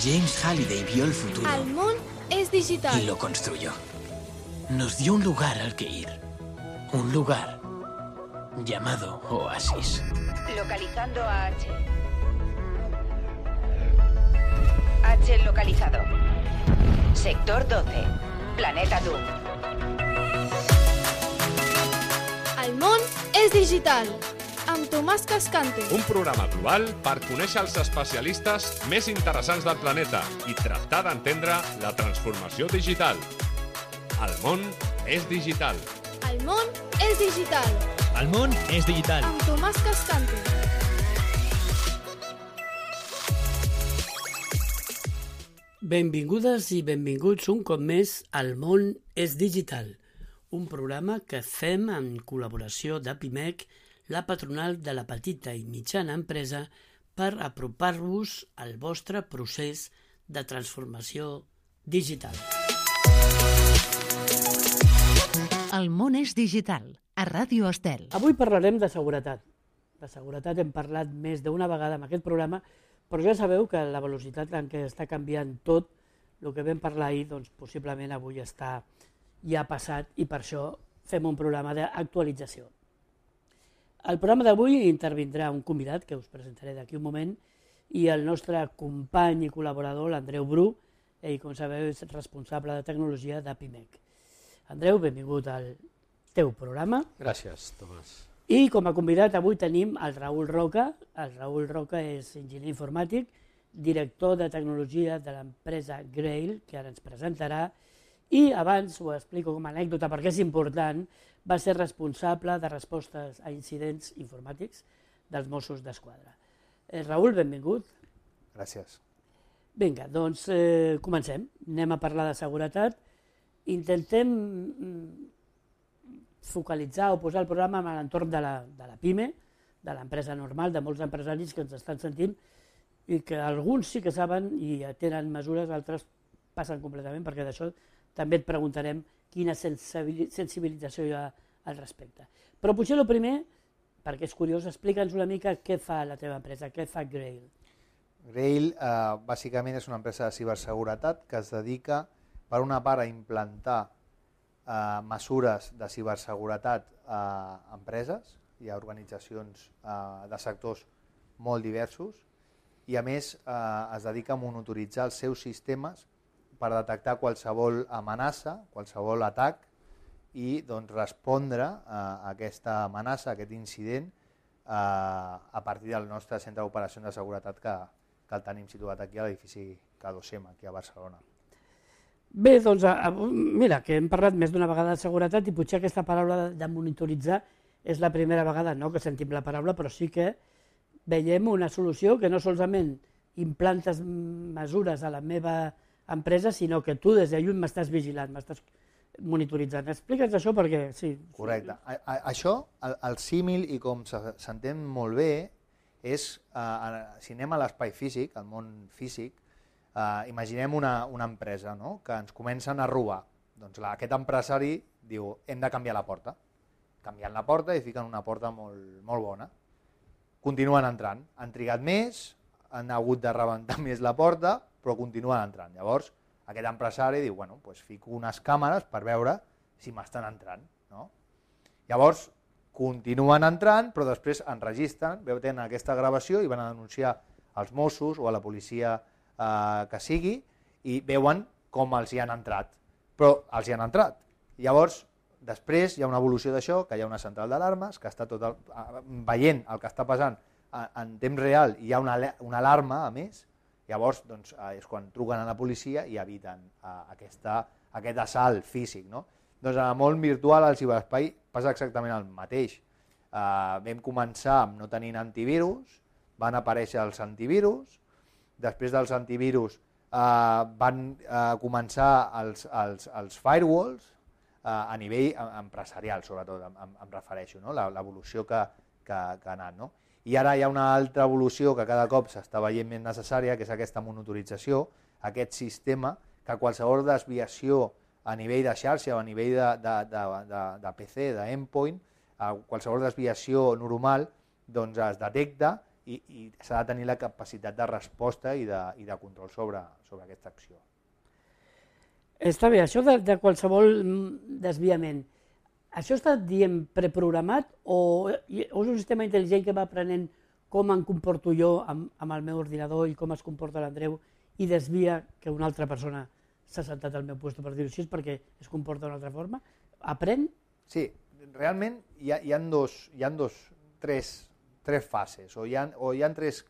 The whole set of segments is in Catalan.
James Halliday vio el futuro. El món es digital. Y lo construyó. Nos dio un lugar al que ir. Un lugar llamado Oasis. Localizando a H. H localizado. Sector 12. Planeta Doom. El món és digital. Amb Tomàs Cascante. Un programa global per conèixer els especialistes més interessants del planeta i tractar d'entendre la transformació digital. El món és digital. El món és digital. El món és digital. Amb Tomàs Cascante. Benvingudes i benvinguts un cop més al món és digital, un programa que fem en col·laboració d'Apimec, la patronal de la petita i mitjana empresa, per apropar-vos al vostre procés de transformació digital. El món és digital, a Ràdio Estel. Avui parlarem de seguretat. De seguretat hem parlat més d'una vegada en aquest programa, però ja sabeu que la velocitat en què està canviant tot, el que vam parlar ahir, doncs possiblement avui ja ha passat i per això fem un programa d'actualització. Al programa d'avui intervindrà un convidat que us presentaré d'aquí un moment i el nostre company i col·laborador, l'Andreu Bru, ell, com sabeu, és responsable de tecnologia d'Apimec. Andreu, benvingut al teu programa. Gràcies, Tomàs. I com a convidat avui tenim el Raül Roca. El Raül Roca és enginyer informàtic, director de tecnologia de l'empresa Grail, que ara ens presentarà, i abans ho explico com a anècdota perquè és important, va ser responsable de respostes a incidents informàtics dels Mossos d'Esquadra. Raül, benvingut. Gràcies. Vinga, doncs comencem. Anem a parlar de seguretat. Intentem focalitzar o posar el programa a l'entorn de la PIME, de l'empresa normal, de molts empresaris que ens estan sentint i que alguns sí que saben i tenen mesures, altres passen completament, perquè d'això també et preguntarem quina sensibilització hi ha al respecte. Però potser el primer, perquè és curiós, explica'ns una mica què fa la teva empresa, què fa Grail. Grail bàsicament és una empresa de ciberseguretat que es dedica, per una part, a implantar mesures de ciberseguretat a empreses i a organitzacions de sectors molt diversos i, a més, es dedica a monitoritzar els seus sistemes per detectar qualsevol amenaça, qualsevol atac i doncs, respondre a aquesta amenaça, a aquest incident, a partir del nostre centre d'operacions de seguretat que el tenim situat aquí a l'edifici K2M, aquí a Barcelona. Bé, doncs, mira, que hem parlat més d'una vegada de seguretat i potser aquesta paraula de monitoritzar és la primera vegada no, que sentim la paraula, però sí que veiem una solució que no solament implantes mesures a la meva empresa, sinó que tu des de lluny m'estàs vigilant, m'estàs monitoritzant. Explica'ns això perquè... Sí. Correcte. Això, el símil, i com s'entén molt bé, és, si anem a l'espai físic, al món físic, imaginem una empresa no? Que ens comencen a robar. Doncs aquest empresari diu, hem de canviar la porta. Canvien la porta i fiquen una porta molt bona. Continuen entrant. Han trigat més, han hagut de rebentar més la porta, però continuen entrant. Llavors, aquest empresari diu, bueno, doncs fico unes càmeres per veure si m'estan entrant. No? Llavors, continuen entrant, però després enregistren, tenen aquesta gravació i van a denunciar als Mossos o a la policia que sigui i veuen com els hi han entrat. Però els hi han entrat. Llavors, després hi ha una evolució d'això, que hi ha una central d'alarmes, que està veient el que està passant en temps real i hi ha una alarma, a més. Llavors, doncs, és quan truquen a la policia i eviten aquest assalt físic. No? Doncs en el món virtual, al ciberespai, passa exactament el mateix. Vam començar amb no tenint antivirus, van aparèixer els antivirus, després dels antivirus van començar els firewalls a nivell empresarial, sobretot, em refereixo, no? L'evolució que ha anat. No? I ara hi ha una altra evolució que cada cop s'està veient més necessària, que és aquesta monitorització, aquest sistema que qualsevol desviació a nivell de xarxa o a nivell de PC, d'endpoint, qualsevol desviació normal doncs es detecta i s'ha de tenir la capacitat de resposta i de control sobre aquesta acció. Està bé, això de qualsevol desviament, això està, diem, preprogramat o és un sistema intel·ligent que va aprenent com em comporto jo amb el meu ordinador i com es comporta l'Andreu i desvia que una altra persona s'ha saltat al meu lloc, per dir-ho així, perquè es comporta d'una altra forma? Aprèn? Sí, realment hi ha tres fases, o hi ha tres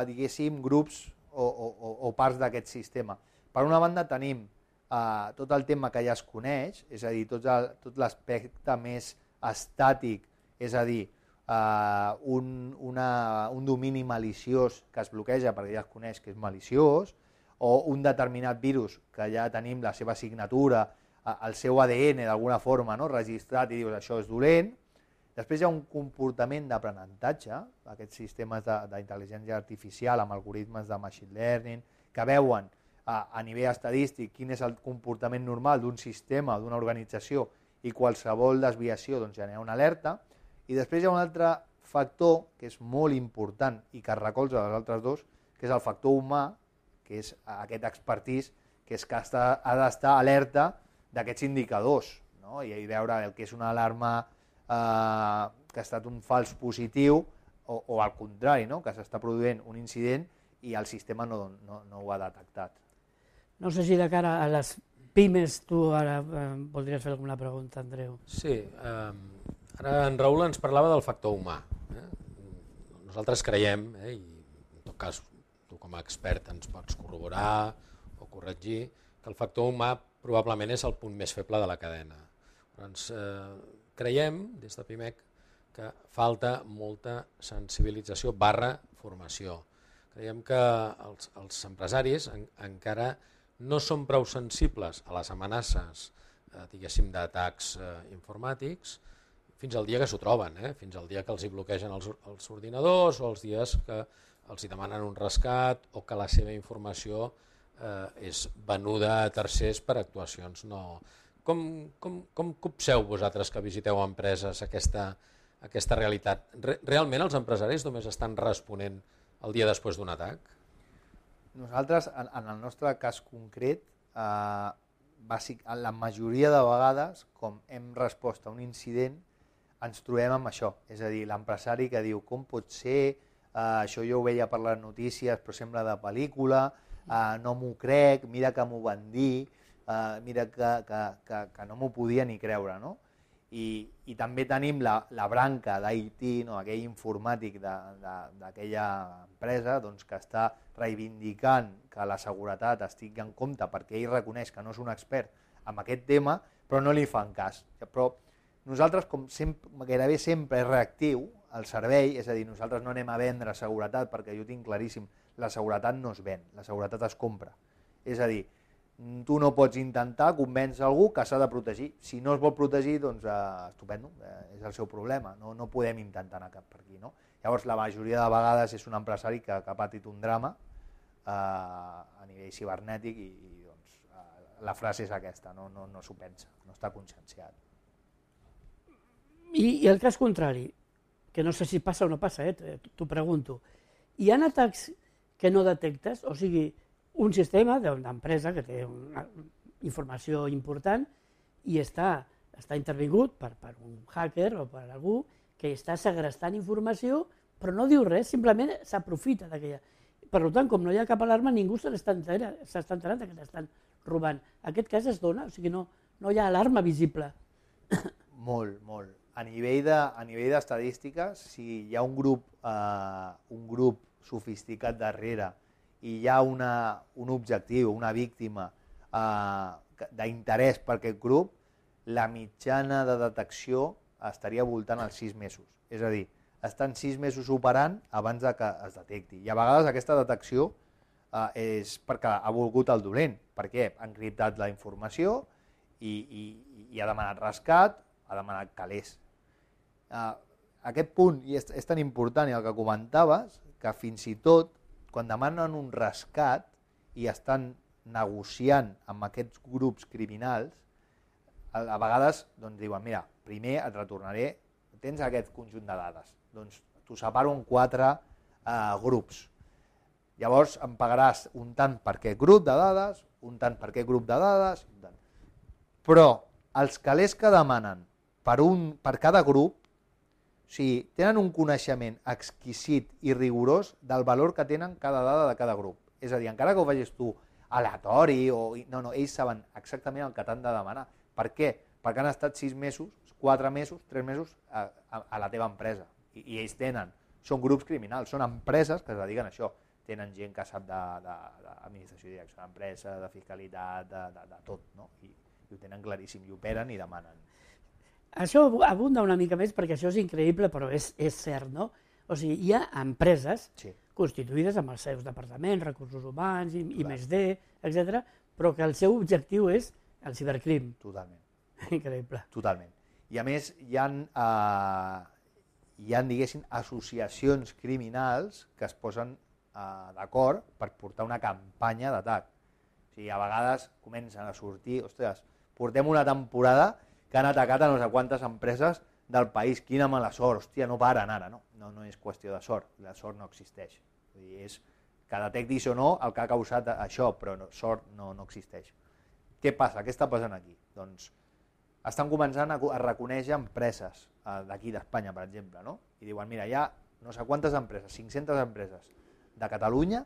diguéssim, grups o parts d'aquest sistema. Per una banda tenim tot el tema que ja es coneix, és a dir, tot l'aspecte més estàtic, és a dir, un domini maliciós que es bloqueja perquè ja es coneix que és maliciós, o un determinat virus que ja tenim la seva signatura, el seu ADN d'alguna forma registrat i dius això és dolent. Després hi ha un comportament d'aprenentatge, aquests sistemes d'intel·ligència artificial amb algoritmes de machine learning que veuen a nivell estadístic quin és el comportament normal d'un sistema o d'una organització i qualsevol desviació genera una alerta. I després hi ha un altre factor que és molt important i que es recolza dels altres dos, que és el factor humà, que és aquest expertís que ha d'estar alerta d'aquests indicadors, i veure el que és una alarma que ha estat un fals positiu o al contrari, que s'està produint un incident i el sistema no ho ha detectat. No sé si de cara a les pimes tu ara voldries fer alguna pregunta, Andreu. Sí, ara en Raül ens parlava del factor humà. Nosaltres creiem, i en tot cas tu com a expert ens pots corroborar o corregir, que el factor humà probablement és el punt més feble de la cadena. Doncs creiem, des de PIMEC, que falta molta sensibilització / formació. Creiem que els empresaris encara no són prou sensibles a les amenaces, diguéssim, d'atacs informàtics, fins al dia que s'ho troben, fins al dia que els hi bloquegen els ordinadors o els dies que els hi demanen un rescat o que la seva informació és venuda a tercers per actuacions no... Com copseu vosaltres que visiteu empreses aquesta realitat? Realment els empresaris només estan responent el dia després d'un atac? Nosaltres, en el nostre cas concret, la majoria de vegades, com hem respost a un incident, ens trobem amb això. És a dir, l'empresari que diu com pot ser, això jo ho veia per les notícies però sembla de pel·lícula, no m'ho crec, mira que m'ho van dir, mira que no m'ho podia ni creure. I també tenim la branca d'IT, aquell informàtic d'aquella empresa que està reivindicant que la seguretat estigui en compte perquè ell reconeix que no és un expert en aquest tema, però no li fan cas. Però nosaltres, com gairebé sempre és reactiu el servei, és a dir, nosaltres no anem a vendre seguretat perquè jo tinc claríssim, la seguretat no es ven, la seguretat es compra. És a dir, tu no pots intentar convèncer algú que s'ha de protegir. Si no es vol protegir, doncs estupendo, és el seu problema, no podem intentar anar cap per aquí. Llavors, la majoria de vegades és un empresari que ha patit un drama a nivell cibernètic i la frase és aquesta, no s'ho pensa, no està conscienciat. I el cas contrari, que no sé si passa o no passa, t'ho pregunto, hi ha atacs que no detectes, o sigui, un sistema d'empresa que té una informació important i està intervingut per un hacker o per algú que està segrestant informació però no diu res, simplement s'aprofita d'aquella. Per tant, com no hi ha cap alarma, ningú s'està enterant que l'estan robant. Aquest cas es dona, o sigui, no hi ha alarma visible. Molt, molt. A nivell d'estadístiques, si hi ha un grup sofisticat darrere i hi ha un objectiu, una víctima d'interès per aquest grup, la mitjana de detecció estaria voltant als 6 mesos. És a dir, estan 6 mesos operant abans que es detecti. I a vegades aquesta detecció és perquè ha volgut el dolent. Per què? Ha encriptat la informació i ha demanat rescat, ha demanat calés. Aquest punt és tan important, i el que comentaves, que fins i tot quan demanen un rescat i estan negociant amb aquests grups criminals, a vegades diuen, mira, primer et retornaré, tens aquest conjunt de dades, doncs t'ho separo en 4 grups. Llavors em pagaràs un tant per aquest grup de dades, un tant per aquest grup de dades, un tant. Però els calés que demanen per cada grup, o sigui, tenen un coneixement exquisit i rigorós del valor que tenen cada dada de cada grup. És a dir, encara que ho facis tu aleatori, no, ells saben exactament el que t'han de demanar. Per què? Perquè han estat 6 mesos, 4 mesos, 3 mesos a la teva empresa. I ells són grups criminals, són empreses que es dediquen a això. Tenen gent que sap d'administració i direcció d'empresa, de fiscalitat, de tot, no? I ho tenen claríssim, i operen i demanen. Això abunda una mica més perquè això és increïble, però és cert, no? O sigui, hi ha empreses constituïdes amb els seus departaments, recursos humans, I+D, etc., però que el seu objectiu és el cibercrim. Totalment. Increïble. Totalment. I a més hi ha diguéssim, associacions criminals que es posen d'acord per portar una campanya d'atac. O sigui, a vegades comencen a sortir, ostres, portem una temporada que han atacat a no sé quantes empreses del país, quina mala sort, hòstia, no paren ara, no és qüestió de sort, la sort no existeix. Vull dir, és que detectis o no el que ha causat això, però sort no existeix. Què passa? Què està passant aquí? Doncs estan començant a reconèixer empreses d'aquí d'Espanya, per exemple, no? I diuen, mira, hi ha no sé quantes empreses, 500 empreses de Catalunya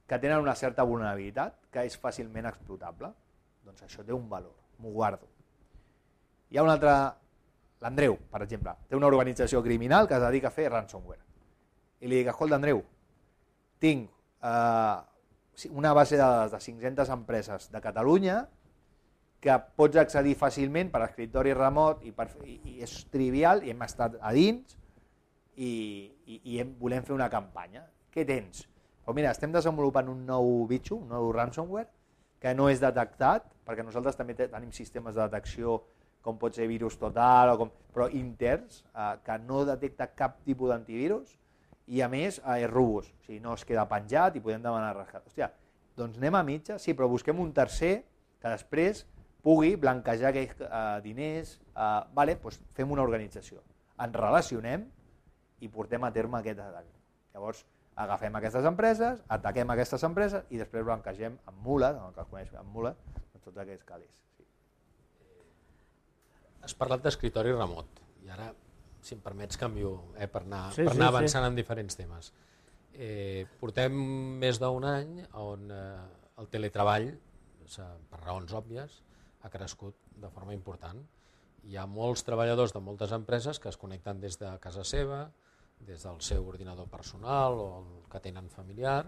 que tenen una certa vulnerabilitat que és fàcilment explotable. Doncs això té un valor, m'ho guardo. Hi ha un altre, l'Andreu, per exemple, té una organització criminal que es dedica a fer ransomware. I li dic, escolta, Andreu, tinc una base de dades de 500 empreses de Catalunya que pots accedir fàcilment per escriptori remot i és trivial i hem estat a dins i volem fer una campanya. Què tens? Doncs mira, estem desenvolupant un nou bitxo, un nou ransomware que no és detectat, perquè nosaltres també tenim sistemes de detecció com pot ser virus total, però interns, que no detecta cap tipus d'antivirus i a més és robust, o sigui, no es queda penjat i podem demanar rescat. Hòstia, doncs anem a mitja, sí, però busquem un tercer que després pugui blanquejar aquells diners, doncs fem una organització, ens relacionem i portem a terme aquest atac. Llavors agafem aquestes empreses, ataquem aquestes empreses i després blanquegem amb mules, el que es coneix amb mules, tots aquests calés. Has parlat d'escriptori remot i ara, si em permets, canvio per anar avançant en diferents temes. Portem més d'un any on el teletreball, per raons òbvies, ha crescut de forma important. Hi ha molts treballadors de moltes empreses que es connecten des de casa seva, des del seu ordinador personal o el que tenen familiar,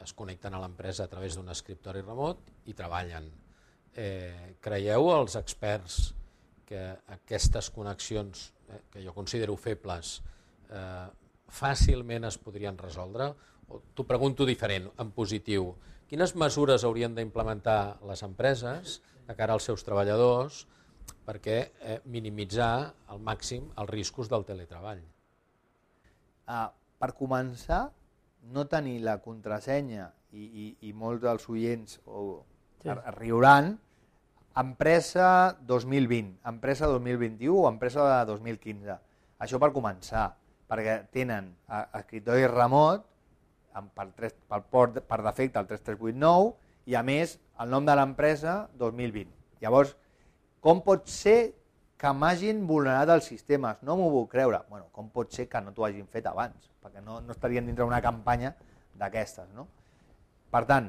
es connecten a l'empresa a través d'un escriptori remot i treballen. Creieu, els experts, que aquestes connexions, que jo considero febles, fàcilment es podrien resoldre? T'ho pregunto diferent, en positiu. Quines mesures haurien d'implementar les empreses de cara als seus treballadors perquè minimitzar al màxim els riscos del teletreball? Per començar, no tenir la contrasenya, i molts dels oients riuran, empresa 2020, empresa 2021 o empresa de 2015. Això per començar, perquè tenen escriptori remot per defecte el 3389 i a més el nom de l'empresa 2020. Llavors, com pot ser que m'hagin vulnerat els sistemes? No m'ho puc creure. Bueno, com pot ser que no t'ho hagin fet abans? Perquè no estarien dintre d'una campanya d'aquestes, no? Per tant,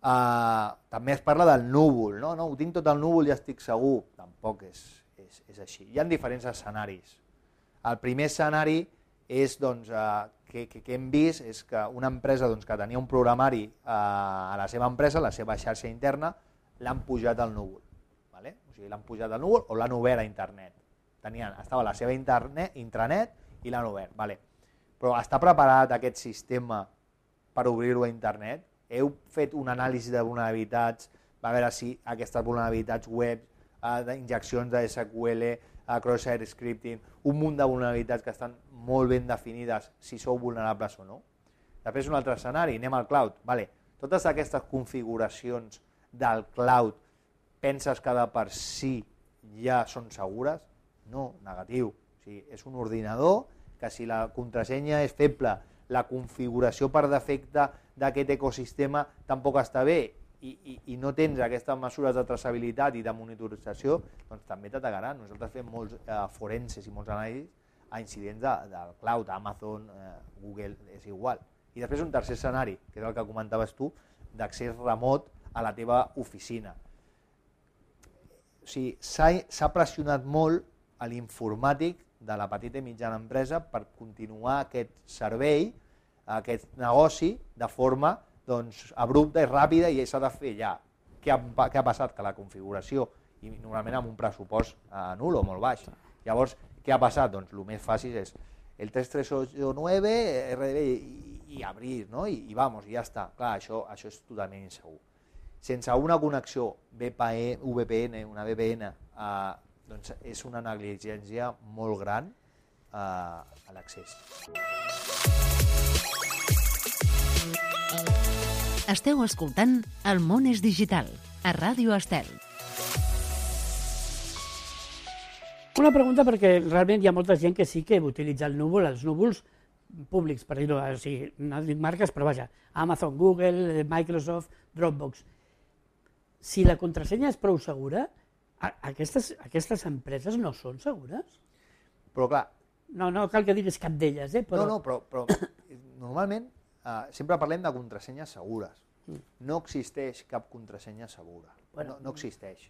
també es parla del núvol, no? Ho tinc tot al núvol i estic segur. Tampoc és així. Hi ha diferents escenaris. El primer escenari és, que hem vist és que una empresa que tenia un programari a la seva empresa, la seva xarxa interna, l'han pujat al núvol. O sigui, l'han pujat al núvol o l'han obert a internet. Estava a la seva intranet i l'han obert. Però està preparat aquest sistema per obrir-ho a internet? Heu fet un anàlisi de vulnerabilitats, a veure si aquestes vulnerabilitats web, d'injeccions de SQL, cross-site scripting, un munt de vulnerabilitats que estan molt ben definides si sou vulnerables o no. Després un altre escenari, anem al cloud. Totes aquestes configuracions del cloud penses que de per si ja són segures? No, negatiu. O sigui, és un ordinador que si la contrasenya és feble, la configuració per defecte d'aquest ecosistema tampoc està bé i no tens aquestes mesures de traçabilitat i de monitorització, doncs també t'atacaran. Nosaltres fem molts forenses i molts anàlisis a incidents del cloud, Amazon, Google, és igual. I després un tercer escenari, que és el que comentaves tu, d'accés remot a la teva oficina. O sigui, s'ha pressionat molt a l'informàtic de la petita i mitjana empresa per continuar aquest servei, aquest negoci, de forma abrupta i ràpida, i s'ha de fer ja. Què ha passat? Que la configuració, i normalment amb un pressupost nul o molt baix. Llavors, què ha passat? Doncs el més fàcil és el 3389, RDB i obrir, no? I vamos, i ja està. Clar, això és totalment insegur. Sense una connexió VPN, una VPN, doncs és una negligència molt gran a l'accés. Esteu escoltant El món és digital, a Ràdio Estel. Una pregunta, perquè realment hi ha molta gent que sí que utilitza el núvol, els núvols públics, per dir-ho, o sigui, no dic marques, però vaja, Amazon, Google, Microsoft, Dropbox. Si la contrasenya és prou segura, aquestes empreses no són segures? Però clar... No cal que diguis cap d'elles, però... No, però normalment sempre parlem de contrasenyes segures. No existeix cap contrasenya segura. No existeix.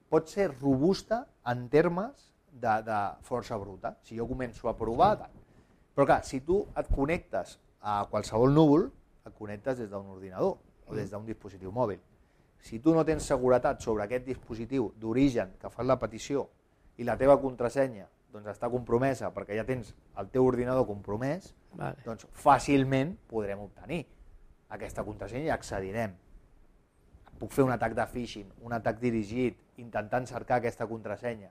Pot ser robusta en termes de força bruta. Si jo començo a provar... Però clar, si tu et connectes a qualsevol núvol, et connectes des d'un ordinador o des d'un dispositiu mòbil. Si tu no tens seguretat sobre aquest dispositiu d'origen que fas la petició i la teva contrasenya està compromesa perquè ja tens el teu ordinador compromès, doncs fàcilment podrem obtenir aquesta contrasenya i accedirem. Puc fer un atac de phishing, un atac dirigit, intentant cercar aquesta contrasenya.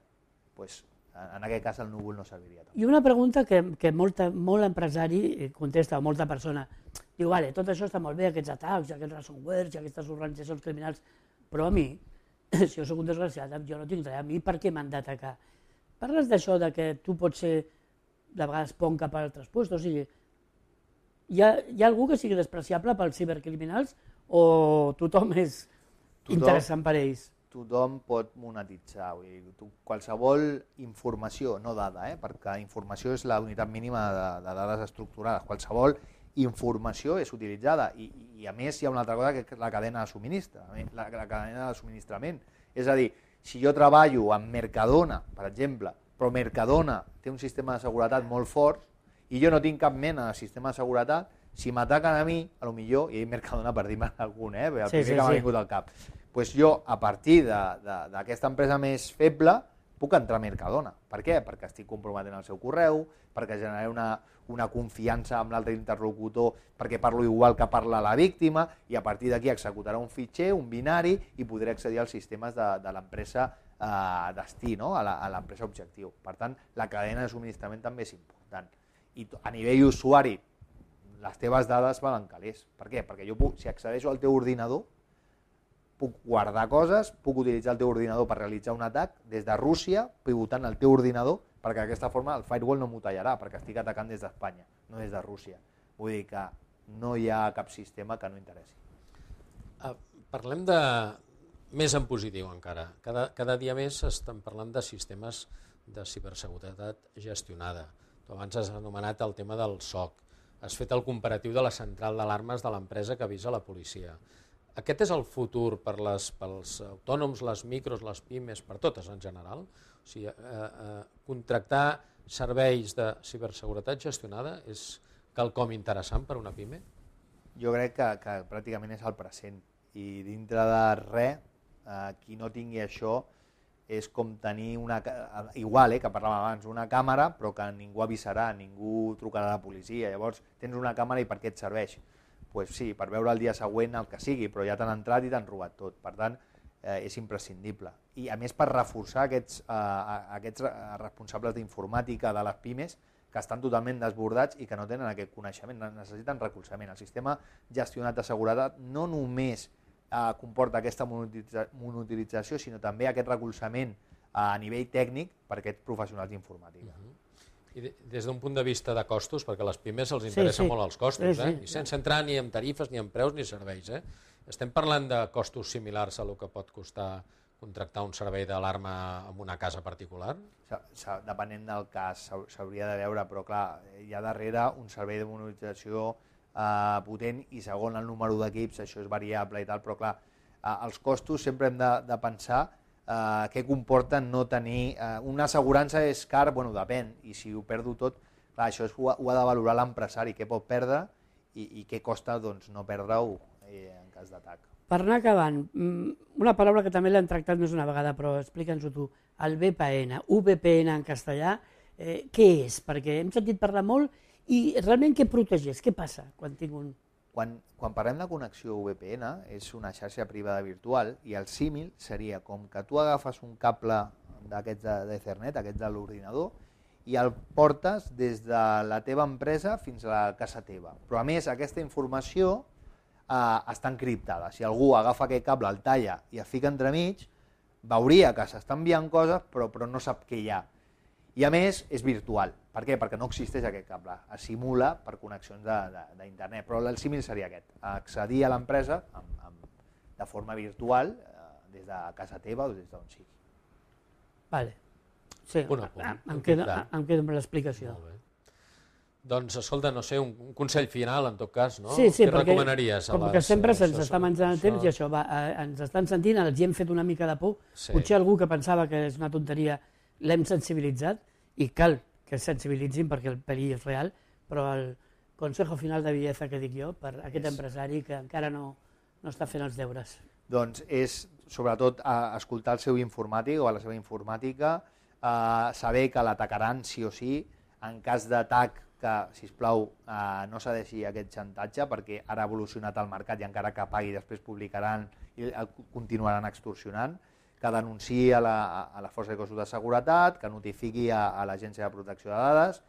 Doncs en aquest cas el núvol no serviria tant. I una pregunta que molt empresari contesta, o molta persona, diu, vale, tot això està molt bé, aquests atacs, aquests ransomwares, aquestes organitzacions criminals, però a mi, si jo soc un desgraciat, jo no tinc res, a mi per què m'han d'atacar? Parles d'això de que tu pots ser, de vegades, pont cap a altres puestos, o sigui, hi ha algú que sigui despreciable pels cibercriminals o tothom és interessant per ells? Tothom pot monetitzar, qualsevol informació, no dada, perquè informació és la unitat mínima de dades estructurades, qualsevol informació és utilitzada i a més hi ha una altra cosa que és la cadena de subministrament, la cadena de subministrament. És a dir, si jo treballo amb Mercadona, per exemple, però Mercadona té un sistema de seguretat molt fort i jo no tinc cap mena de sistema de seguretat, si m'ataquen a mi, potser, i Mercadona per dir-me algun, el primer que m'ha vingut al cap, doncs jo, a partir d'aquesta empresa més feble, puc entrar a Mercadona. Per què? Perquè estic comprometent el seu correu, perquè generaré una confiança amb l'altre interlocutor, perquè parlo igual que parla la víctima, i a partir d'aquí executarà un fitxer, un binari, i podré accedir als sistemes de l'empresa destí, a l'empresa objectiu. Per tant, la cadena de subministrament també és important. I a nivell usuari, les teves dades valen calés. Per què? Perquè jo, si accedeixo al teu ordinador, puc guardar coses, puc utilitzar el teu ordinador per realitzar un atac des de Rússia, pivotant el teu ordinador, perquè d'aquesta forma el firewall no m'ho tallarà, perquè estic atacant des d'Espanya, no des de Rússia. Vull dir que no hi ha cap sistema que no interessi. Parlem de més en positiu encara. Cada dia més estem parlant de sistemes de ciberseguretat gestionada. Tu abans has anomenat el tema del SOC. Has fet el comparatiu de la central d'alarmes de l'empresa que avisa la policia. Aquest és el futur pels autònoms, les micros, les pimes, per totes en general? O sigui, contractar serveis de ciberseguretat gestionada és quelcom interessant per una pime? Jo crec que pràcticament és el present. I dintre de res, qui no tingui això és com tenir igual, que parlàvem abans, una càmera, però que ningú avisarà, ningú trucarà a la policia. Llavors, tens una càmera i per què et serveix? Doncs sí, per veure el dia següent el que sigui, però ja t'han entrat i t'han robat tot. Per tant, és imprescindible. I a més per reforçar aquests responsables d'informàtica de les pimes que estan totalment desbordats i que no tenen aquest coneixement, necessiten recolzament. El sistema gestionat de seguretat no només comporta aquesta monitorització, sinó també aquest recolzament a nivell tècnic per aquests professionals d'informàtica. I des d'un punt de vista de costos, perquè a les pimes els interessa molt els costos, i sense entrar ni en tarifes, ni en preus, ni serveis. Estem parlant de costos similars a el que pot costar contractar un servei d'alarma en una casa particular? Depenent del cas, s'hauria de veure, però clar, hi ha darrere un servei de monitorització potent i segon el número d'equips, això és variable i tal, però clar, els costos sempre hem de pensar què comporta no tenir... Una assegurança és car, bueno, depèn, i si ho perdo tot, clar, això ho ha de valorar l'empresari, què pot perdre i què costa no perdre-ho en cas d'atac. Per anar acabant, una paraula que també l'hem tractat més una vegada, però explica'ns-ho tu, el VPN, VPN en castellà, què és? Perquè hem sentit parlar molt i realment què protegeix? Què passa quan tinc un... Quan parlem de connexió VPN, és una xarxa privada virtual i el símil seria com que tu agafes un cable d'aquests d'Ethernet, aquests de l'ordinador, i el portes des de la teva empresa fins a la casa teva. Però a més aquesta informació està encriptada. Si algú agafa aquest cable, el talla i el fica entremig, veuria que s'està enviant coses però no sap què hi ha. I a més és virtual. Per què? Perquè no existeix aquest cable. Es simula per connexions d'internet. Però el símil seria aquest, accedir a l'empresa de forma virtual des de casa teva o des d'on sigui. Vale. Sí, em quedo amb l'explicació. Molt bé. Doncs, escolta, no sé, un consell final, en tot cas, no? Sí, què recomanaries? Com que sempre se'ns està menjant el temps i això, ens estan sentint, els hi hem fet una mica de por. Potser algú que pensava que és una tonteria l'hem sensibilitzat i cal que es sensibilitzin perquè el perill és real, però el consejo final de bellesa que dic jo per aquest empresari que encara no està fent els deures. Doncs és, sobretot, escoltar el seu informàtic o la seva informàtica, saber que l'atacaran sí o sí, en cas d'atac que, sisplau, no cedeixi aquest xantatge perquè ara ha evolucionat el mercat i encara que pagui després publicaran i continuaran extorsionant, que denunciï a la Força de Cossos de Seguretat, que notifiqui a l'Agència de Protecció de Dades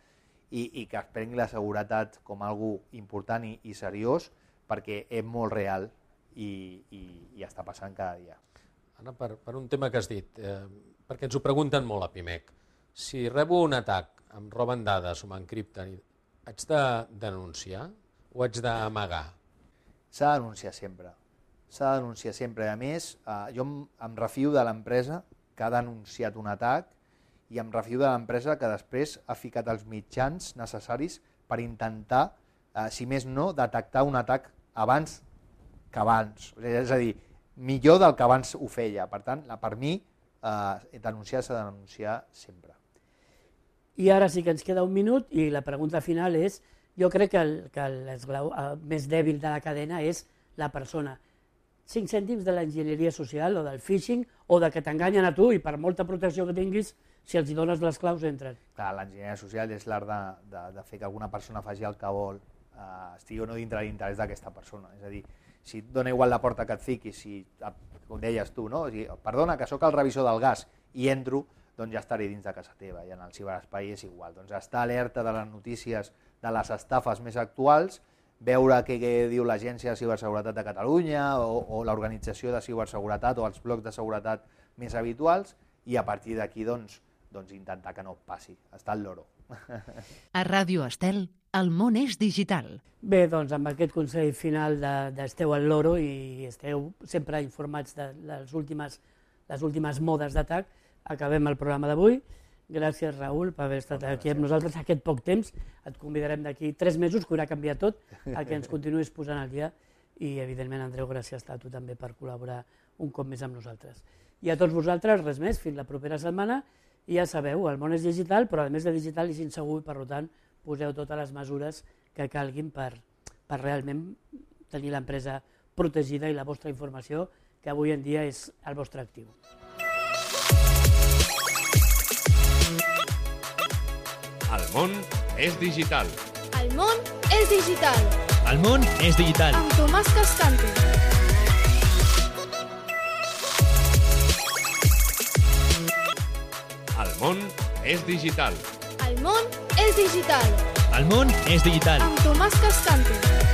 i que es prengui la seguretat com algo important i seriós perquè és molt real i està passant cada dia. Anna, per un tema que has dit, perquè ens ho pregunten molt a PIMEC, si rebo un atac, em roben dades o m'encripten, haig de denunciar o haig d'amagar? S'ha de denunciar sempre. S'ha de denunciar sempre. A més, jo em refio de l'empresa que ha denunciat un atac i em refio de l'empresa que després ha ficat els mitjans necessaris per intentar, si més no, detectar un atac abans que abans. És a dir, millor del que abans ho feia. Per tant, per mi, denunciar s'ha de denunciar sempre. I ara sí que ens queda un minut i la pregunta final és, jo crec que l'esglau més dèbil de la cadena és la persona. 5 cèntims de l'enginyeria social o del phishing o de que t'enganyen a tu i per molta protecció que tinguis, si els hi dones les claus entren. Clar, l'enginyeria social és l'art de fer que alguna persona faci el que vol, estigui o no dintre l'interès d'aquesta persona. És a dir, si et dona igual la porta que et fiquis, si, com deies tu, no? O sigui, perdona, que sóc el revisor del gas i entro, doncs ja estaré dins de casa teva i en el ciberespai és igual. Doncs estar alerta de les notícies de les estafes més actuals, veure què diu l'Agència de Ciberseguretat de Catalunya o l'Organització de Ciberseguretat o els blocs de seguretat més habituals i a partir d'aquí doncs intentar que no passi. Està al loro. A Ràdio Estel, el món és digital. Bé, doncs amb aquest consell final d'esteu al loro i esteu sempre informats de les últimes modes d'atac, acabem el programa d'avui. Gràcies, Raül, per haver estat aquí amb nosaltres aquest poc temps. Et convidarem d'aquí 3 mesos, que haurà canviat tot, a que ens continuïs posant al dia. I, evidentment, Andreu, gràcies a tu també per col·laborar un cop més amb nosaltres. I a tots vosaltres, res més, fins la propera setmana. I ja sabeu, el món és digital, però a més de digital és insegur i, per tant, poseu totes les mesures que calguin per realment tenir l'empresa protegida i la vostra informació, que avui en dia és el vostre actiu. El món és digital. El món és digital. El món és digital. Amb Tomàs Cascante. El món és digital. El món és digital. El món és digital. Amb Tomàs Cascante.